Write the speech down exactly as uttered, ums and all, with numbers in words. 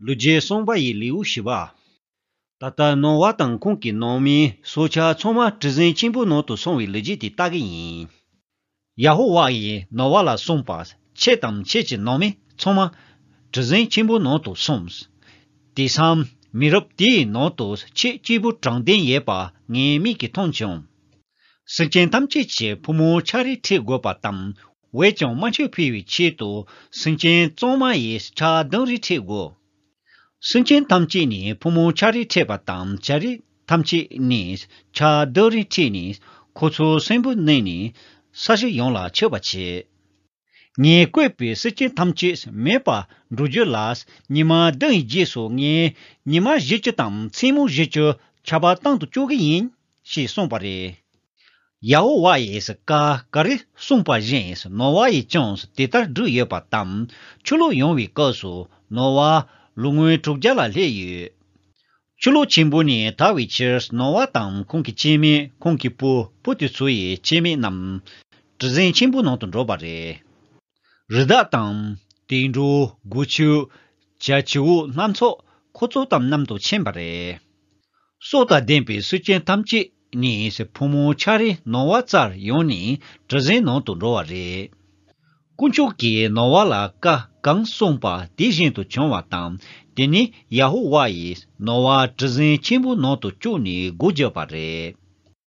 ལོ་རྒྱུས་གསུངས་པ་ཡི་ལེའུ་བཞི་པ། ད་ལྟ་ནོ་ཝཱ་དང་ཁོང་གི་ནང་མི་སྲོག་ཆགས་ཚང་མ་གྲུ་གཟིངས་ཆེན་པོའི་ནང་དུ་སོང་བའི་ལོ་རྒྱུས་དེ་ལྟ་གི་ཡིན། ཡ་ཧོ་ཝཱ་ཡིས་ནོ་ཝཱ་ལ་གསུངས་པ། ཁྱེད་དང་ཁྱེད་ཀྱི་ནང་མི་ཚང་མ་གྲུ་གཟིངས་ཆེན་པོའི་ནང་དུ་སོང་། དེང་སང་མི་རབས་དེའི་ནང་དུ་ཁྱེད་སྐྱེས་བུ་དྲང་བདེན་ཡོད་པ་ངའི་མིག་གིས་མཐོང་བྱུང་། སེམས་ཅན་ཐམས་ཅད་ཀྱི་ཕོ་མོ་ཆ་རེ་ཁྲིད་དགོས་པ་དང་། འོན་ཀྱང་རྨ་ཆུ་འཕེལ་བའི་ཆེད་དུ་སེམས་ཅན་གཙང་མ་ཡི་ཆ་བདུན་རེ་ཁྲིད་དགོས། སེམས་ཅན་ཐམས་ཅད་ནི་ཕོ་མོ་ཆ་རེ་ཁྲིད་པ་དང་། བྱ་རིགས་ཐམས་ཅད་ནི་ཆ་བདུན་རེ་ཁྲིད་ནས་ཁོ་ཚོ་གསོན་པོ་གནས་ནས་ས་གཞི་ཡོངས་ལ་ཁྱབ་པ་བྱེད། ངས་བཀོད་པའི་སེམས་ཅན་ཐམས་ཅད་མེད་པར་འགྲོ་རྒྱུ་ལ། ཉི་མ་བདུན་ཡི་རྗེས་སུ་ངས་ཉི་མ་བཞི་བཅུ་དང་མཚན་མོ་བཞི་བཅུ་ཆར་པ་བཏང་དུ་བཅུག་གི་ཡིན། ཞེས་གསུངས་པ་རེད། ཡ་ཧོ་ཝཱ་ཡིས་བཀའ་ག་རེ་གསུངས་པ་བཞིན་ནོ་ཝཱ་ཡིས་ཀྱང་དེ་ལྟར་བསྒྲུབས་ཡོད་པ་དང་། ཆུ་ལོག་ཡོང་བའི་སྐབས་སུ་ནོ་ཝཱ་ལོ་ངོ་དྲུག་བརྒྱ་ལ་སླེབས་ཡོད། ཆུ་ལོག་ཆེན་པོ་ནི་དར་བའི་ཕྱིར་ནོ་ཝཱ་དང་ཁོང་གི་སྐྱེ་དམན། ཁོང་གི་བུ། བུ་དེ་ཚོ་ཡི་སྐྱེ་དམན་རྣམས་གྲུ་གཟིངས་ཆེན་པོའི་ནང་དུ་འགྲོ་བ་རེད། རི་དྭགས་དང་། དུད་འགྲོ། སྒོ་ཕྱུགས། བྱ་བྱིའུ་སྣ་ཚོགས་ཁོ་ཚོ་དང་མཉམ་དུ་ཕྱིན་པ་རེད། སྲོག་དང་ལྡན་པའི་སེམས་ཅན་ཐམས་ཅད་ནི་ཕོ་མོ་ཆ་རེ་ནོ་ཝཱ་རྩར་ཡོང་ནས་གྲུ་གཟིངས་ནང་དུ་འགྲོ་བ་རེད། དཀོན་མཆོག་གིས་ནོ་ཝཱ་ལ་བཀའ་གང་གསུངས་པ་དེ་བཞིན་དུ་བྱུང་བ་དང་། དེ་ནས་ཡ་ཧོ་ཝཱ་ཡིས་ནོ་ཝཱ་གྲུ་གཟིངས་ཆེན་པོའི་ནང་དུ་བཅུག་ནས་སྒོ་བརྒྱབ་པ་རེད།